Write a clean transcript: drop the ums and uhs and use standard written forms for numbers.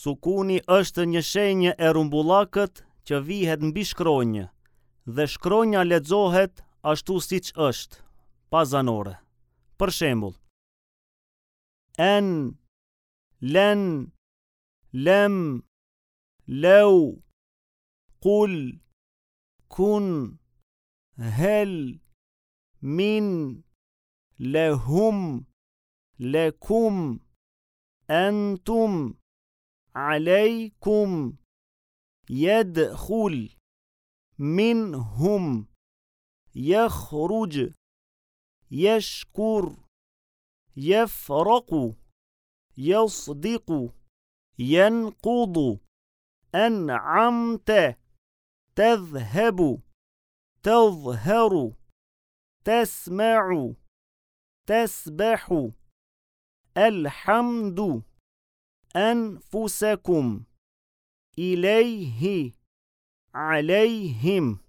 Sukuni është një shenjë e rrumbullakët që vihet mbi shkronjë dhe shkronja lexohet ashtu siç është, pa zanore. Për shembull, en, len, lem, leu, kul, kun, hel, min, lehum, lekum, entum, alejkum, jedhul, minhum, jehruxh, jeshkur, jefraku, jesdiku, jenkudu, en'amte, tedhhebu, tedhheru, tesme'u, tesbehu, elhamdu, enfusekum, ilejhi, alejhim.